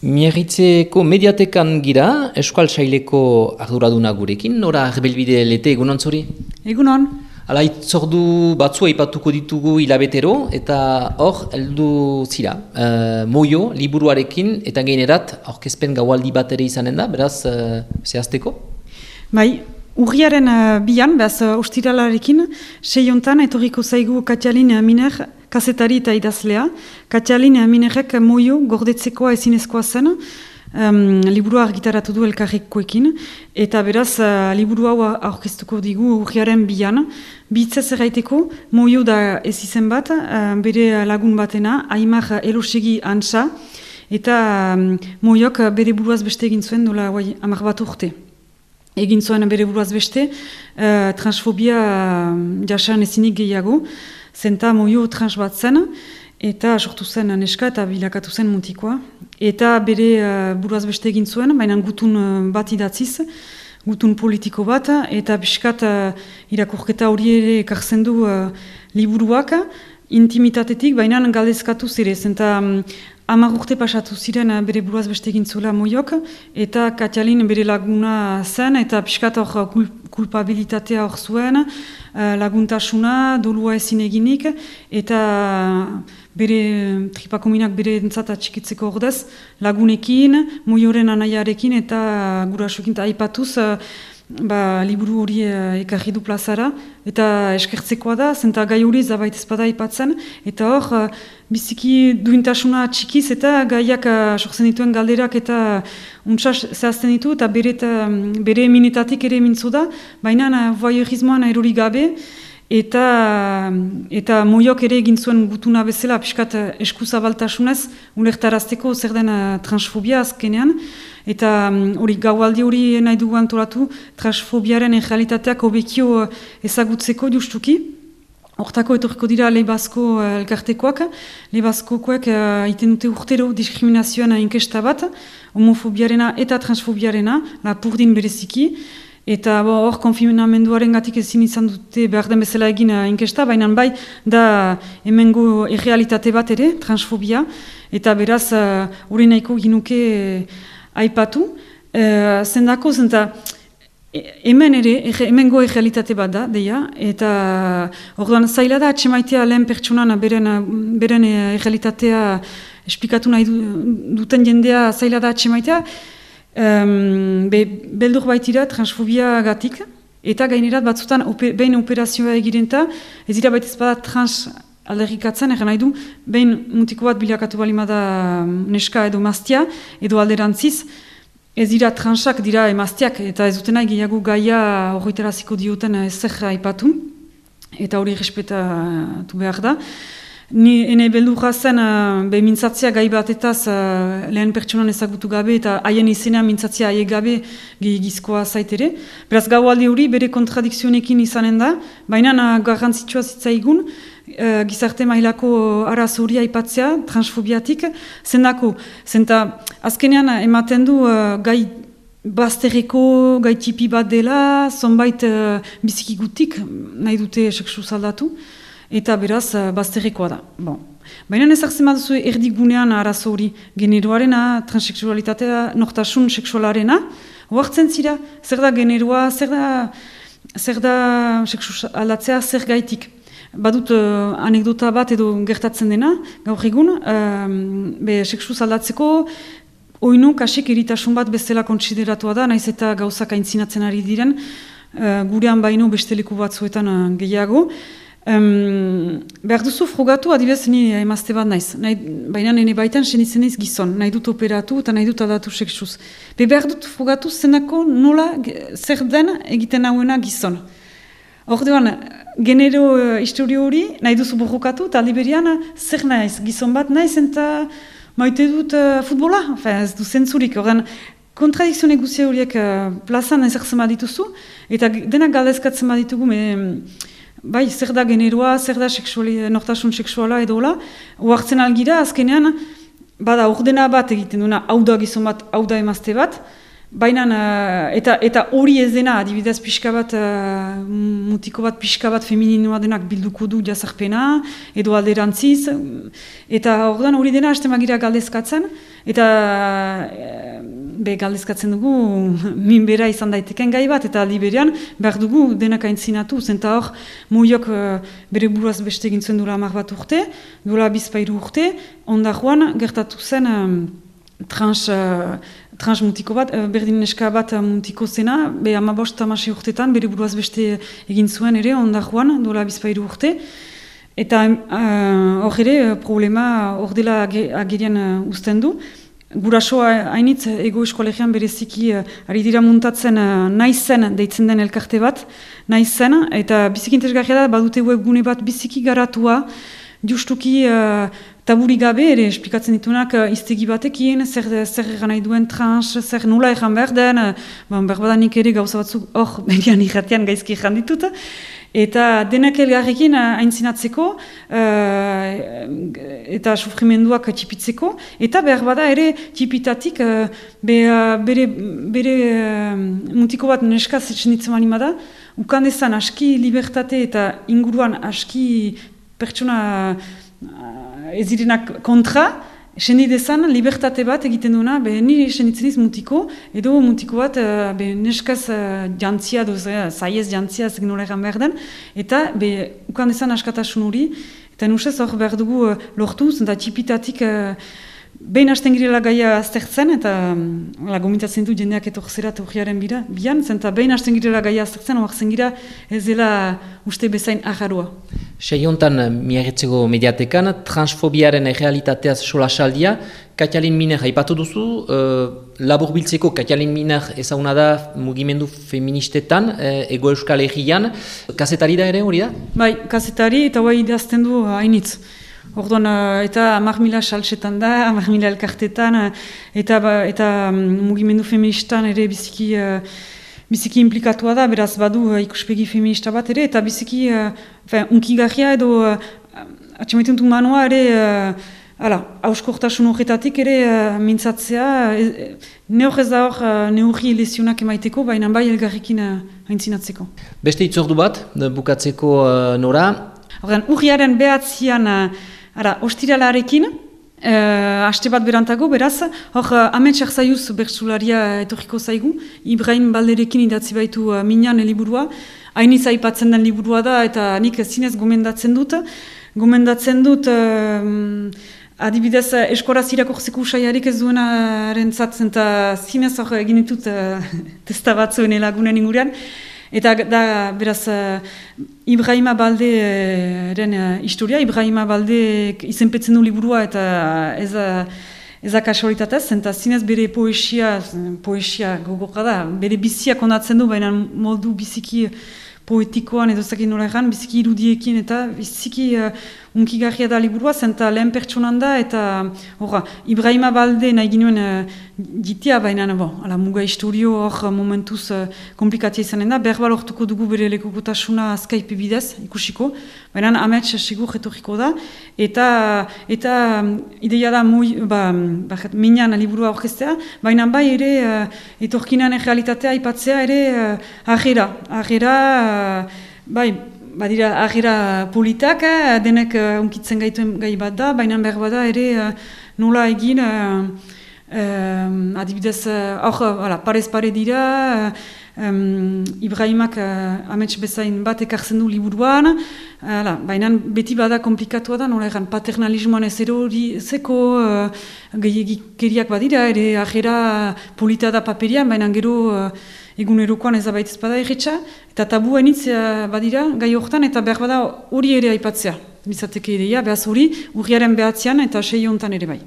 Miarritzeko mediatekan gira, Euskal Saileko arduraduna gurekin, nora Arbelbide Lete egunon zori? Egunon. Hala, itzordu batzua ipatuko ditugu hilabetero, eta hor, heldu zira. Moio, liburuarekin, eta gainerat, aurkezpen gaualdi bat ere izanen da, beraz, zehazteko? Bai, urriaren bian, beraz, ostiralarekin, seiontan etorriko zaigu Katjalin Miner, kazetari eta idazlea. Katjalin Minerrek Moio gordetzekoa ezinezkoa zen, liburua argitaratu du elkarrekoekin, eta beraz, liburu hau aurkeztuko digu urriaren bian. Bitzez erraiteko, Moio da ez izen bat, bere lagun batena, Aimar Elosegi Antsa, eta Moiok bere buruaz beste egin zuen dola 10 bat urte. Egin zuen bere buruaz beste, transfobia jasan ezinik gehiago, zenta Moio trans bat zen, eta sortu zen neska eta bilakatu zen mutikoa. Eta bere buruaz beste egin zuen, baina gutun bat idatziz, gutun politiko bat, eta biskat irakurketa hori ere ekartzen du liburuak, intimitatetik, baina galdezkatu zire, zenta 10 urte pasatu ziren bere buruaz beste egin zuela Moiok, eta Katjalin bere laguna zen, eta piskat hor kulpabilitatea hor zuen, laguntasuna, dolua ezin eginik, eta bere tripakominak bere entzat atxikitzeko ordez, lagunekin, Moioren anaiarekin, eta gurasoekin aipatuz, liburu hori ekarri du plazara, eta eskertzekoa da, zenta gai hori zabait ezpada aipatzen, eta hor, biziki duintasuna txikiz, eta gaiak sortzen dituen galderak, eta untsa zehazten ditu, eta bere eminetatik ere mintzu da, baina voyeurismoan erori gabe, eta Moiok ere egin zuen gutuna bezala, piskat eskuzabaltasunez, ulertarazteko zer den transfobia azkenean, eta hori gaualdi hori nahi dugu antolatu, transfobiaren realitateak hobekio ezagutzeko justuki. Hortako etorriko dira Leibazko elkartekoak. Leibazkokoek iten dute urtero diskriminazioan inkesta bat, homofobiarena eta transfobiarena, lapurdin bereziki. Eta hor konfinamenduaren gatik ezin izan dute behar den bezala egin inkesta, baina bai da hemengo errealitate bat ere, transfobia, eta beraz hori nahiko ginuke aipatu. Zendako, zenta hemen ere, hemengo errealitate bat da, deia, eta orduan zaila da atxemaitea lehen pertsonan beren errealitatea esplikatu nahi duten jendea zaila da atxemaitea, beldur baitira transfobia gatik, eta gainerat batzutan behin operazioa egirenta, ez dira baita ezpada trans alderrikatzen, egan nahi du, behin mutiko bat bilakatu balimada neska edo maztia, edo alderantziz, ez dira transak dira emaztiak, eta ez dutena gehiago gaia horretaraziko dioten ezer aipatu, eta hori respetatu behar da. Ni ene beldurra zen mintzatzea gai batetaz lehen pertsonan ezagutu gabe eta haien izena mintzatzea haie gabe gizkoa zaitere. Beraz gaualdi hori bere kontradikzionekin izanen da, baina garrantzitsua zitzaigun gizarte mailako arazo hori aipatzea transfobiatik, zendako, zenta azkenean ematen du gai bazterreko gai tipi bat dela, zonbait bizikigutik nahi dute sexu zaldatu, eta beraz, bazterrekoa da. Bon. Baina ezartzen baduzu erdigunean arazo hori generoarena, transseksualitatea, nortasun seksualarena, oartzen zira, zer da generoa, zer da seksu aldatzea, zer gaitik. Badut anekdota bat edo gertatzen dena, gaur egun, seksu aldatzeko, oinu kasik eritasun bat bezala kontsideratua da, naiz eta gauzak aintzinatzen ari diren, gurean baino beste leku batzuetan gehiago. Behar duzu frogatu, adibidez ni emazte bat naiz, baina nene baitan senitzen naiz gizon, nahi dut operatu eta nahi dut aldatu seksuz. Behar dut frogatu zenako nola zer den egiten hauena gizon. Orduan, genero historio hori nahi duzu borrokatu eta aliberian zer naiz, gizon bat naiz eta maite dut futbola, ez du zentzurik. Orduan, kontradikzione guzia horiek plazan ezertzen badituzu eta denak galdezkatzen baditugu, bai, zer da generoa, zer da nortasun seksuala edo hola, oartzen algira, azkenean, bada ordena bat egiten duena, hau da gizon bat, hau da emazte bat, baina eta hori ez dena, adibidez pixka bat, mutiko bat pixka bat femininoa denak bilduko du jazarpena, edo alderantziz, eta orduan hori dena hasten bagira galdezkatzen, eta galdezkatzen dugu minbera izan daiteken gai bat, eta aldi berean behar dugu denak aintzinatu, zenta hor muiok bere buruaz beste egin zuen duela 10 bat urte, duela bizpahiru urte, onda joan gertatu zen trans mutiko bat, berdin neska bat mutiko zena, 15-16 urtetan bere buruaz beste egin zuen ere, onda joan duela bizpahiru urte, eta hor ere problema hor dela agerian uzten du. Gurasoa hainitz ego eskolegian bereziki ari dira muntatzen naizen deitzen den elkarte bat, naizen, eta biziki interesgarria da, badute webgune bat biziki garatua, justuki taburi gabe ere esplikatzen ditunak iztegi batekin, zer egan nahi duen trans, zer nola egan behar den, berbadanik ere gauza batzuk hor berian irratian gaizki egan ditut, eta denak elgarrekin aintzinatzeko eta sufrimendua txipitzeko, eta behar bada ere txipitatik bere mutiko bat neska zetxenitzen mani bada, ukandezan aski libertate eta inguruan aski pertsona ezirenak kontra, senidezan libertate bat egiten duena, nire senitzeniz mutiko, edo mutiko bat neskaz jantzia, zaiez jantzia, zeg nola egan behar den, eta ukandezan askatasun hori, eta nusez hor behar dugu lortu, zenta txipitatik behin hasten girela gaia aztertzen, eta gomitatzen du jendeak etorzerat urriaren bian, zenta behin hasten girela gaia aztertzen, oaxen gira ez dela uste bezain agarroa. Seiontan miarritzeko mediatekan, transfobiaren errealitateaz solasaldia, Katalin Miner aipatu duzu, labur biltzeko Katalin Miner ezaguna da mugimendu feministetan, Ego Euskal Herrian, kazetari da ere hori da? Bai, kazetari eta bai idazten du hainitz. Orduan, eta 10.000 saltsetan da, 10.000 elkartetan, eta mugimendu feministan ere biziki implikatua da, beraz badu ikuspegi feminista bat ere, eta biziki unkigarria edo atxamaitentu manua ere, hauskortasun horretatik ere mintzatzea, ne hor ez da hor neurri lezionak emaiteko, baina bai elgarrekin aintzinatzeko. Beste itzordu bat, bukatzeko Nora? Orduan, urriaren behatzian, ostiralarekin, haste bat berantago, beraz, hor, Amets Arzaiuz bertsularia etorriko zaigu, Ibrahim Balderekin idatzi baitu Minan liburua, hainiz aipatzen den liburua da, eta nik zinez gomendatzen dut, adibidez, eskoraz irakurtzeko usaiarik ez duena rentzatzen, eta zinez hor egin ditut testa batzuen lagunen ingurean, eta da, beraz, Ibrahima Balderen historia, Ibrahima Balde izenpetzen du liburua eta ez kasualitatez, eta zinez bere poesia gogorra da, bere biziak ondatzen du, baina modu biziki poetikoan edo zakin nola egan, biziki irudiekin eta biziki unkigarria da liburua, zenta lehen pertsonan da, eta Ibrahima Balde nahi ginuen jitia, baina muga historio hor momentuz komplikatia izanen da, behar balortuko dugu bere lekukotasuna Skype bidez, ikusiko, baina Amets sigur etorriko da, eta ideia da Minan liburua orkestea, baina bai ere etorkinan realitatea aipatzea ere agera, bai, badira agera politak, denek unkitzen gaituen gai bat da, baina behar bada ere nola egin, adibidez, parez pare dira, Ibrahimak Amets bezain bat ekartzen du liburuan, baina beti bada komplikatua da, nola egan paternalismoan ez zeko gehiagikeriak badira, ere agera polita da paperian, baina gero egunerokoan ez abaitez bada erretxa, eta tabu hainitz badira gai horretan, eta behar bada hori ere aipatzea. Bizateke ideia, behaz hori urriaren behatzean eta 6 hontan ere bai.